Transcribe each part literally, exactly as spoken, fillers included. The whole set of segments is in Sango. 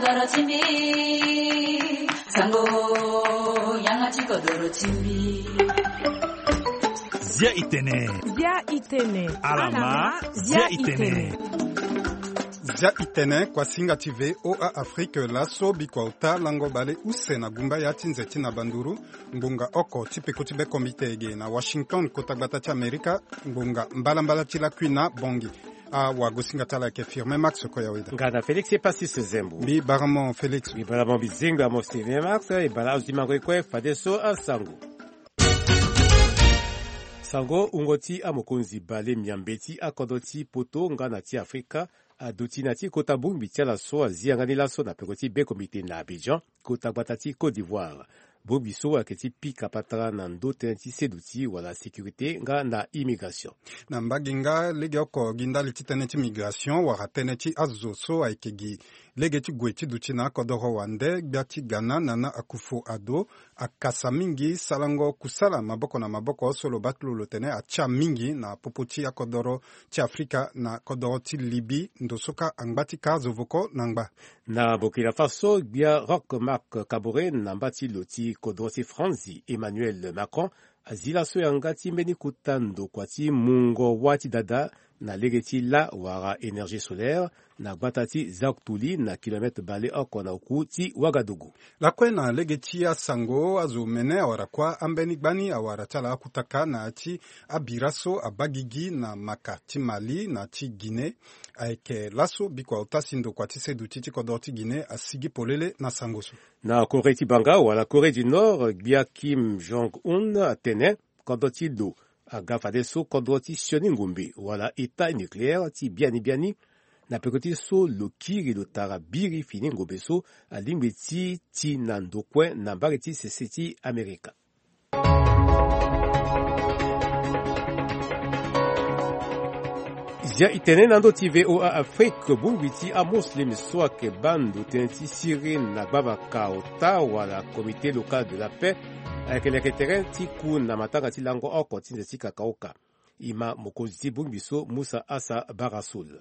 Doro ti mbi, sango, yanga ti kodoro ti mbi. Zia itene. Zia itene. Alama, zia itene. Zia itene, kuasinga ti V O A Afrique, laso bikua ota lango bale use na gumba ya ti nze ti na banduru, ngbonga oko ti peko ti be komite ege na Washington, kota gbata ti Amerika, ngbonga mbalambala ti lakui na Bongi. Awagosinga ti ala ayeke Firmin Max Koyaweda. Nga na Félix Epasis Zembo. Mbi baramo Félix. Mbi baramo bizinga mo Firmin Max, e bara azo ti mango e kue fadeso asango. Sango, wungo ti amokonzi bale miambe ti akodro ti poto nga na ti Afrika aduti na ti kota bongbi ti ala so azi yanga ni laso na peko ti be komite na Abidjan, kota gbata ti Côte d'Ivoire. Bongbi so ayeke ti pika patara na ndö tënë ti seduti wala sécurité nga na immigration. Na mbage nga legeoko gi ndali ti tënë ti migration wala tënë ti azo so ayeke gi lege ti gue ti duti na akodoro wande, gbia ti Ghana Nana Akufo-Addo akasa mingi sarango kusala maboko na maboko so lo baa ti lo lo tene atia mingi na popo ti akodoro ti Afrika na kodoro ti Libye, ndo so kâ angba ti kâ azo voko na ngba. Na Burkina Faso, gbia Roch Marc Kaboré na mba ti lo ti kodro ti Franzi Emmanuel Macron azi laso yanga ti mbeni kota ndokua ti mungo wâ ti dada na lege ti lâ wala énergie solaire na gbata ti Zaoutoulie na kilomètre bale oko na oku ti Ouagadougou. Lakue na lege ti asango, azo mene awara kuâ ambeni gbani awara ti ala akutaka na ya ti abira so abaa gigi na maka ti Mali na ti Guinée. Ayeke laso bikua ota si ndokua ti seduti ti kodro ti Guinée asigi polele na sango so. Na Corée ti banga wala Corée du Nord, gbia Kim Jong-un atene kodro ti lo aga fadeso kodro ti sioni ngombe wala état nucléaire ti biani biani, na peko ti so lo kiri lo tara biri fini ngombe so alingbi ti ti na ndokue na mbage ti sese ti Amerika. Zia itene na ndö ti V O A Afrique, bongbi ti amuslim so ayeke baa ndo tënë ti siri na gbavaka ota wala Comité local de la paix ayeke leke tere ti ku na matanga ti lango oko ti nze ti kakaoka. E ma mokonzi ti bongbi so Musa Asa Barasoul.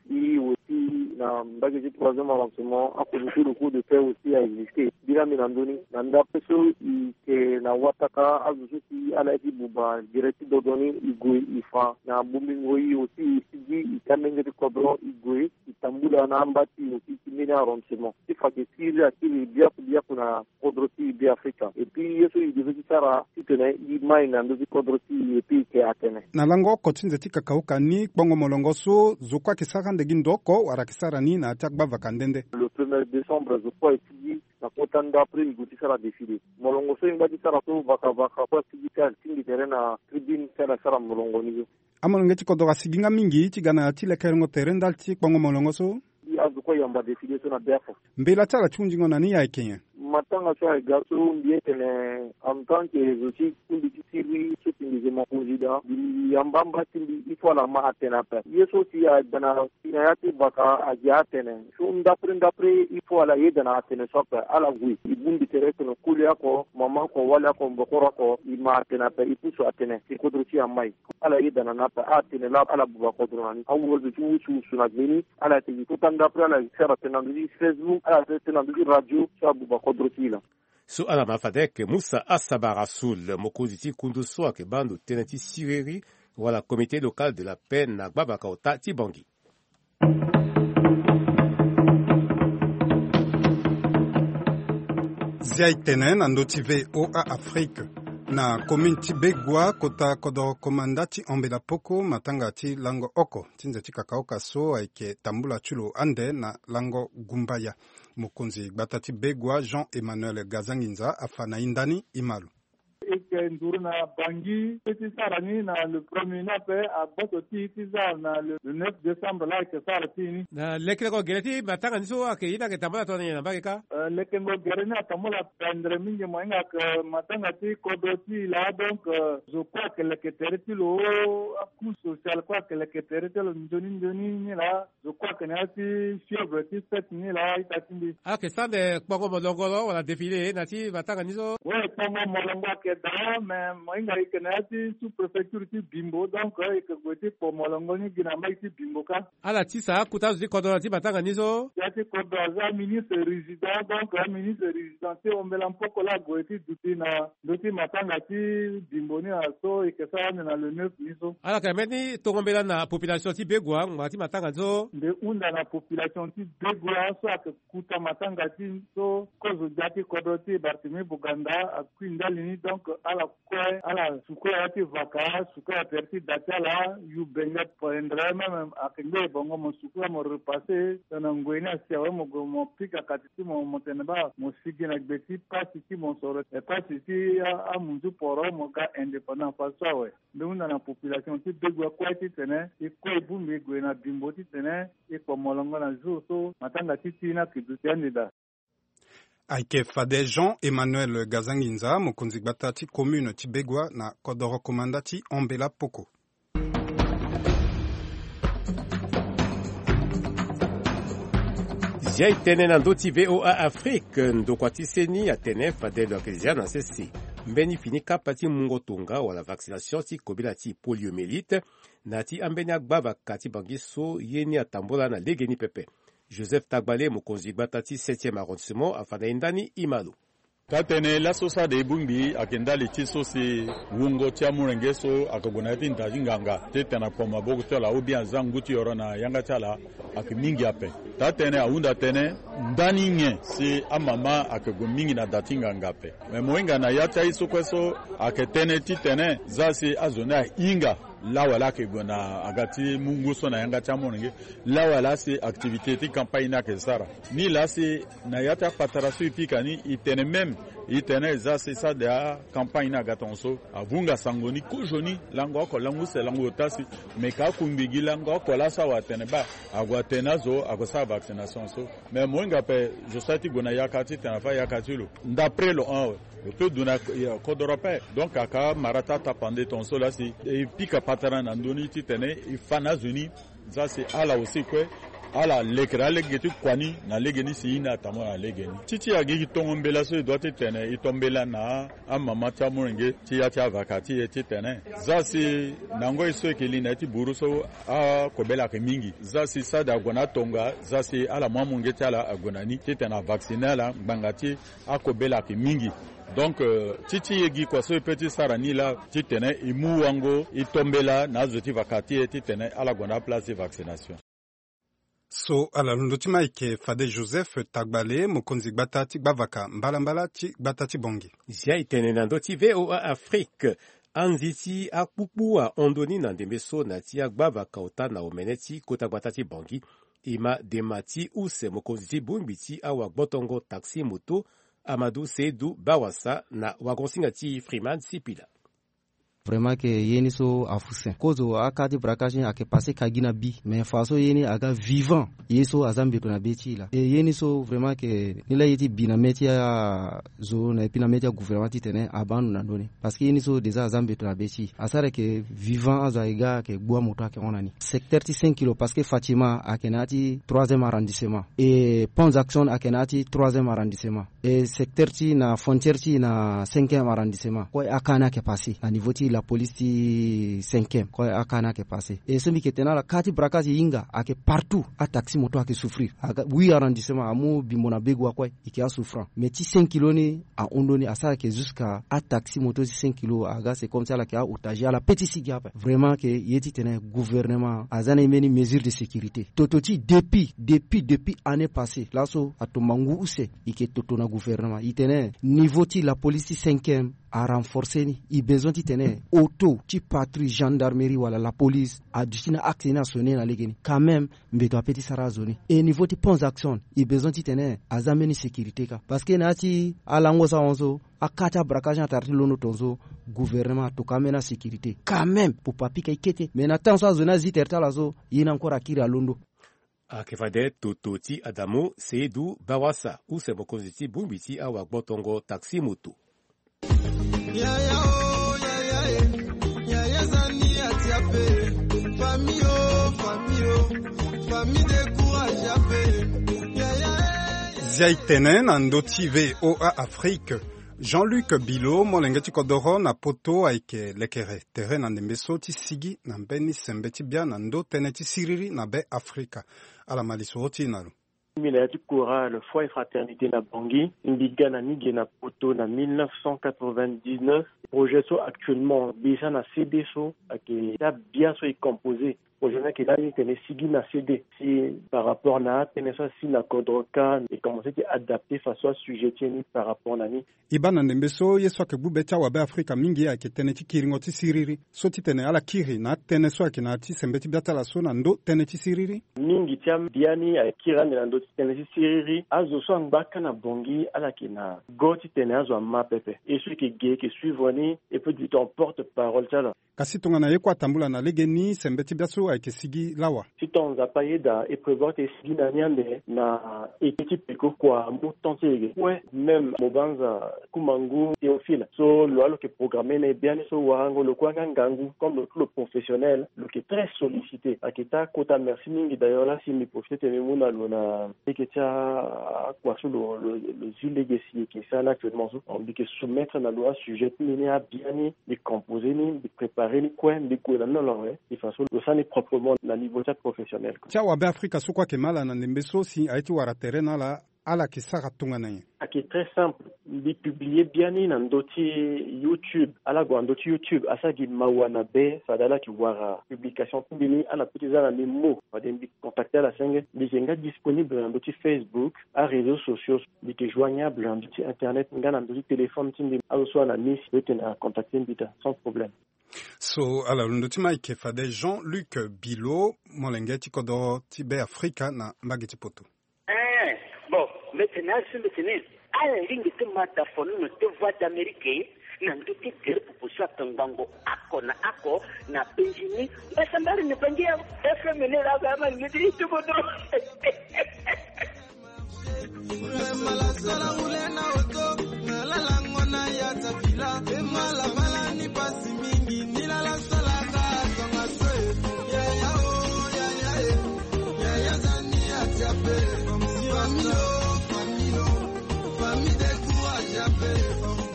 I aussi na mbage ti troisième arrondissement, akozo ti le coup de paix aussi a existe. Bira mbi na ndö ni na ndape so i yeke na wataka azo so si ala ye ti buba gere ti dodo ni, i gue i fa na bongbingo. I aussi i sigi i ti amenge ti kodro, i gue i tambula na amba ti i aussi ti mbeni arrondissement ti fa ke siriri akiri biaku biaku na kodro ti Beafrika. Et puis ye so i devait ti sara titene i mai na ndö ti kodro ti i, et puis i ke atene. Na lango oko ti nze ti kakaoka ni, kpongo molongo so zo kue ayeke sara ande gi ndo oko wala ayeke sara ni na ya ti agbavaka nde nde? Le premier décembre zo kue aye ti gi na kota ndapre i gue ti sara défilé. Molongo so i ngba ti sara so vakavaka kue asigi ti atingbi tere na tribune ti ala sara molongo ni so. Amolenge ti kodro asigi nga mingi ti ga na ya ti lekerengo tere ndali ti kpongo molongo so. I azo kue ayamba défilé so na be oko. Mbela ti ala ti hundingo na ni ayeke nyen? Matanga so ayeke ga so mbi ye tene en tant que zo ti kundi ti siriri so si mbi ze mokonzi daa, mbi yamba amba ti mbi il faut ala ma atene ape. Ye so si aga na si na ya ti vaka agi atene so ndapre ndapre il faut ala yeda na atene so ape. Ala gue i bongbi tere tene koli oko, mama oko, wali oko, mbokoro oko, i ma atene ape, i pusu atene si kodro ti i amai. Ala yeda na ni ape, atene laa ala buba kodro na ni. Awulo zo ti wusuwusu na gbe ni ala yeke gi kota ndapre, ala yeke sara tene na ndö ti Facebook, ala yeke sara tene na ndö ti radio so abuba kodro ti i laa. So ala ma fade ayeke Musa Asaba Rasoul, mokonzi ti kundu so ayeke baa ndo tënë ti siriri wala Comité local de la paix na gbavaka ota ti Bangui. Zia e tene na ndö ti V O A Afrique. Na commune ti Begua, kota kodoro komanda ti Ambela Poko, matanga ti lango oko ti nze ti kakaoka so ayeke tambula ti lo ande na lango gumbaya. Mokonzi gbata ti Begua, Jean Emmanuel Gazanginza, afa na hinda ni, e ma lo. E yeke nduru na Bangui ti sara ni na le premier ni ape, agboso ti e ti za na le, le neuf décembre laa e yeke sara ti e ni. Na lekeleko gere ti matanga ni so ayeke ye ni ayeke tambula tongana nyen na mbage kâ? Eh, lekengo gere ni atambula pendre mingi, mo hinga ayeke matanga ti kodro ti e laa, donc, eh, zo kue ayeke leke tere ti lo, acouche sociale kue ayeke leke tere ti lo nzoni nzoni ni laa. Zo kue ayeke na ya ti fièvre ti fête ni laa ita ti mbi. Ayeke sara ande kpongo molongo lo wala défilé na ya ti matanga ni so? We, kpongo molongo ayeke daa Mais mohinga eke na ya ti sous-préfecture ti Bimbo, donc eke gue ti kpo molongo ni gi na mbage ti Bimbo kâ. Ala tisa akuta azo ti kodro na ti matanga ni so. Ya ti kodro aza ministre résident, donc aministre résident ti ombela mpoko la ague ti duti na ndö ti matanga ti Bimbo ni na so eke sara ande na le neuf ni so. Ala yeke mbeni tongo mbela na population ti Begoua ngbanga ti matanga ni so. Mbi hunda na population ti Begoua so ayeke kuta matanga ti so kozo gbia ti kodro ti Barthélemy Boganda akui ndali ni, donc ala kue ala sukula ya ti vaka, sukula tere ti da ti ala, yu benge poindre même ayeke ngbene bongo mo sukula mo repasser tongana ngoi ni asi awe mo gue mo pika kati ti mo mo tene baa mo sigi na gbe ti pasi ti mosoro, e pasi ti amunzu poro mo ga indépendant faso awe. Mbi hunda na population ti Begoua kue titene e kue e bongbi e gue na Bimbo titene e kpo molongo na jour so matanga ti ti ni ayeke duti ande daa. Ayeke fade Jean Emmanuel Gazanginza, mokonzi gbata ti commune ti Begoua na kodoro komanda ti Ambela Poko. Zia e tene na ndö ti V O A Afrique, ndokua ti seni atene fade lo yeke zia na sese mbeni fini kapa ti mungo tonga wala vaccination ti kobela ti poliomyélite na ya ti ambeni agbavaka ti Bangui so ye ni atambula na legeni pepe. Joseph Tagbale, mokonzi gbata ti septième arrondissement, afa na e ndani e ma lo. Taa-tënë laso so ade e bongbi ayeke ndali ti so si wungo ti amolenge so ayeke gue na ya ti nda ti nganga titene akpo maboko ti ala ou bien aza ngu ti yoro na yanga ti ala ayeke mingi ape. Taa-tënë ahunda tënë ndani nyen si amama ayeke gue mingi na da ti nganga ape. Me mo hinga na ya ti aye so kue so ayeke tënë titene za si azo ni ahinga lawala ayeke gue na aga ti mu ngu so na yanga ti amolenge. Lawala si activité ti campagne ni ayeke sara. Nilaa si na ya ti akpatara so e pika ni e tene même e tene e za si sade acampagne ni aga tongaso avunga sango ni kozoni lango oko lango use lango ota si me ka akungbi gi lango oko laso awe atene baa ague atene azo ague sara vaccination so. Mais mo hinga ape zo so aye ti gue na yaka titene afa yaka ti lo. Ndapre lo hon awe lo peut duti na kodoro ape. Donc aka mara ti atapande tongaso laa si e pika patara na ndö ni titene e fa na azo ni. Za si ala aussi kue ala lekere alege ti kua ni na lege ni si ye ni atambula na lege ni. Ti ti agigi tongo mbela so e dua titene e to mbela na amama ti amolenge ti ya ti avaka ti e titene za si na ngoi so e yeke li na ya ti buru so akobela ayeke mingi. Za si sade ague na atonga za si ala mu amolenge ti ala ague na ni titene avaccine ala ngbanga ti akobela ayeke mingi. Donc euh, ti ti e gi kua so e peut ti sara ni laa titene e mu wango e to mbela na azo ti vaka ti e titene ala gue na aplace ti vaccination. So ala londo ti Mike fade Joseph Tagbale, mokonzi gbata ti gbavaka mbalambala ti gbata ti Bangui. Zia e tene na ndö ti V O A Afrique. Anzi ti akpukpu ahon ndoni na ndembe so na ya ti agbavaka ota na omene ti kota gbata ti Bangui. E ma dema ti use mokonzi ti bongbi ti awagbotongo taxi moto Amadou Seydou Bawassa na wagonsinga ti Freeman Sipila. Vraiment ke ye ni so afu sen kozo aka ti braquage ni ayeke passe ka gi na bi mais fa so ye ni aga vivant ye so aza mbeto na be ti e laa. E ye ni so vraiment ke ni laa ye ti bi na mê ti azo na e puis na mê ti agouvernement titene abaa ndo na ndö ni. Parce que ye ni so déjà aza mbeto na be ti e asara yeke vivant azo ayeke ga ayeke gbu amoto ayeke hon na ni. Secteur ti cinq kilo parce que Fatima ayeke na ya ti troisième arrondissement, e Pont Jackson ayeke na ya ti troisième arrondissement. E secteur ti na frontière ti na cinquième arrondissement kue aka ni ayeke passé na niveau ti la police ti cinquième kue aka ni ayeke passé. E so mbi yeke tene ala ka ti braquage e hinga ayeke partout. Ataxi moto ayeke souffrir aga huit arrondissement amu Bimbo na Begoua kue e yeke asouffrant mais ti cinq kilo ni ahon ndoni asara yeke jusqu'à ataxi moto ti cinq kilo aga c'est comme si ala yeke aotage ala pe ti sigi ape. Vraiment ke ye titene gouvernement aza na e mbeni mesure de sécurité toto ti depuis depuis depuis année passée laso atomba ngu use. E yeke toto na gouvernement e tene niveau ti la police ti cinquième arenforcer ni. E besoin titene auto ti patrouille gendarmerie wala la police aduti na axe ni asonne na lege ni quand même. Mbeto ape ti sara azo ni e niveau ti Pont Jackson e besoin titene aza mbeni sécurité kâ parce que na ya ti alango so ahon so aka ti abraquage ni atara ti londo tongaso. Gouvernement atoka ambeni asécurité quand même popo apika e kete mais na temps so azo ni azi tere ti ala so ye ni encore akiri alondo. Ayeke fade toto ti Adamu Seydou Bawassa use mokonzi ti bongbi ti awagbotongo taxi moto. Yaya o yaya e, yaya eza ni ati ape. Famille o famille o, famille décourage ape. Yaya e. Zia e tene na ndö ti V O A Afrique. Jean-Luc Bilo, molenge ti kodoro na poto, ayeke lekere tere na ndembe so ti sigi na mbeni sembe ti bia na ndö tënë ti siriri na Be Afrika. Ala ma lisoro ti e na lo. Mbi na ya ti kora le Foi Fraternité na Bangui. Mbi ga na ni ge na poto na mille neuf cent quatre-vingt-dix-neuf. Projet so actuellement mbi sa na C D so ayeke ti abia so e composé. Projet ni ayeke lani tene e sigi na C D si par rapport na atënë so asi na kodro ka e commencé ti adapté façon asujet ti e ni par rapport na ni. E baa na ndembe so ye so ayeke gbu be ti awabe Afrika mingi ayeke tënë ti kiringo ti siriri. So titene ala kiri na atënë so ayeke na ya ti sembe ti bia ti ala so na ndö tënë ti siriri. Mingi ti abiani ayeke kiri ande na ndö ti tënë ti siriri. Azo so angba aka na Bangui ala yeke na go titene azo ama pepe. E so e yeke ge e yeke suivre ni, e peut dire ton porte parole ti ala. Kasi tongana ye kue atambula na legeni, sembe ti bia so ayeke sigi lawa. Si ton Nzapa ayeda, e prévoir ti e sigi na ni ande na eke ti peko kua mu temps ti e ge kue. Même mo banza Kumangu Théophile so lo wa lo yeke programmé na e biani so warango lo kue anga ngangu comme lo tout lo professionnel, lo yeke très sollicité. Ayeke ti akota merci mingi. D'ailleurs la si mbi profité tene mbi mu na lo na lege ti akua so lo, lo, lo zi lege si e yeke sara ni actuellement so. Mbi yeke soumettre na lo asujet ti mbi ni, abiani mbi composé ni, mbi préparé ni kue, mbi gue na ni na lo awe. De façon lo sara ni proprement na niveau ti aprofessionnel. Ti awabe Afrika so kue ayeke ma ala na ndembe so si aye ti wara tere na ala, ala yeke sara tongana nyen? Ayeke très simple. Mbi publié biani na ndö ti YouTube. Ala gue na ndö ti YouTube, asara gi mawa na be fade ala yeke wara publication ti mbi ni. Ala peut ti za na mbi mot fade mbi contacté ala senge. Mbi yeke nga disponible na ndö ti Facebook, aréseaux sociaux. Mbi yeke joignable na ndö ti internet nga na ndö ti téléphone ti mbi. Azo so ana miss lo tene acontacté mbi daa sans problème. So ala londo ti ma ayeke fade Jean-Luc Bilo, molenge ti kodoro ti Be Afrika na mbage ti poto. Eh, bon, mbi tene azo so mbi tene ala lingbi ti ma tafono na ti Voix d'Amérique na ndö ti gere popo so ayeke ngbongo oko na oko na penzi ni. Mbasambala na Bangui, F M ni laa, ama lingbi ti ti kodoro.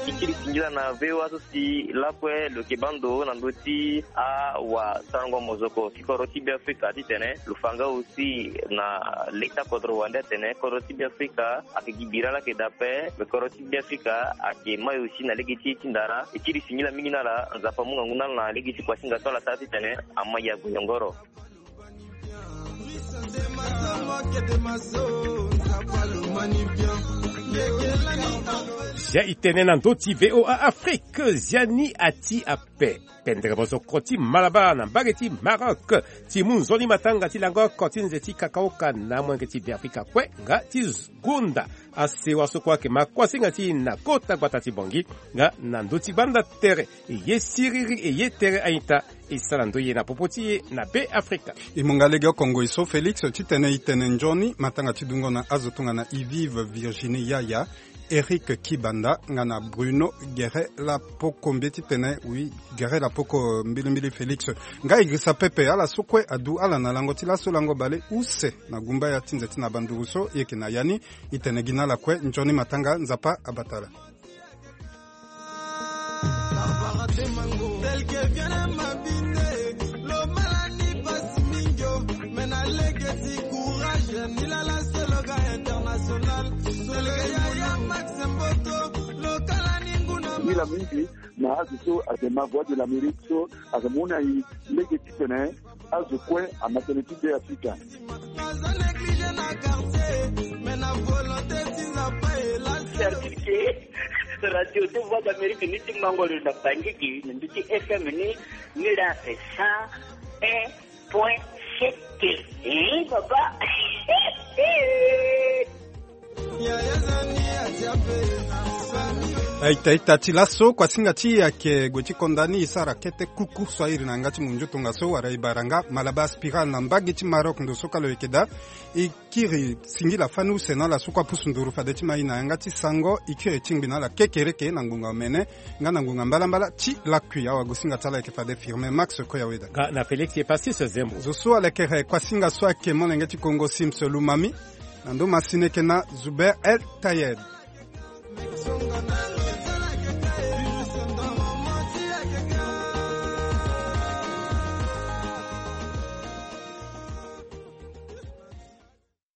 Ti kiri singila na V O A so si lakue lo yeke baa ndo na ndö ti awasarango mozoko ti kodro ti Be Afrika titene lo fa nga aussi na leta kodro wande atene kodro ti Be Afrika ayeke gi bira laa ayeke daa ape. Me kodro ti Be Afrika ayeke mai aussi na lege ti e ti ndara. E kiri singila mingi na ala, Nzapa amu ngangu na ala na lege ti kuasinga so ala sara titene ama yago yongoro. Zia e tene na ndö ti V O A Afrique, zia ni ati ape. Pendere mozoko ti Malabar na mbage ti Maroc ti mu nzoni matanga ti lango oko ti nze ti kakaoka na molenge ti Be Afrika kue nga ti gonda asewa so kue ayeke ma kuasinga ti e na kota gbata ti Bangui nga na ndö ti gbanda tere. E ye siriri, e ye tere a-ita, e sara ndoye na popo ti e na Be Afrika. E mu nga lege oko ngoi so Félix titene e tene nzoni matanga ti dungo na azo tongana Yvive Virginie Yaya, Eric Kibanda nga na Bruno Gere Lapoko, mbi ye titene oui, Gere Lapoko, mbilimbili Félix. Nga e girisa pepe ala so kue adu ala na lango ti laso lango bale use na gumbaya ti nze ti na banduru so e yeke na ya ni. E tene gi na ala kue nzoni matanga, Nzapa abata ala. Nila mingi na azo so ayeke ma Voix de l'Amérique so ayeke mu na e lege titene azo kue ama tënë ti Be Afrika. Radio ti Voix d'Amérique ni ti mango lo na Bangui gi na ndö ti F M ni, ni laa ape cent un point sept. Eh, papa. Aita ita ti laso, kuasinga ti e ayeke gue ti konda ni, e sara kete kuku so a iri na yanga ti munzu tongaso wala e bara nga Malabar Spiral na mbage ti Maroc ndo so kalo e yeke daa. E kiri singila fani use na ala so kue apusu nduru fade ti ma e na yanga ti sango, e kiri tingbi na ala kekereke na ngonga omene nga na ngonga mbalambala ti lakui. Awagosinga ti ala ayeke fade Firmin Max Koyaweda. Nga na Félix Epasis Zembo. Zo so alekere kuasinga so ayeke molenge ti Kongo Sims Lumami. Na ndo masini eke na Zuber El Tayed.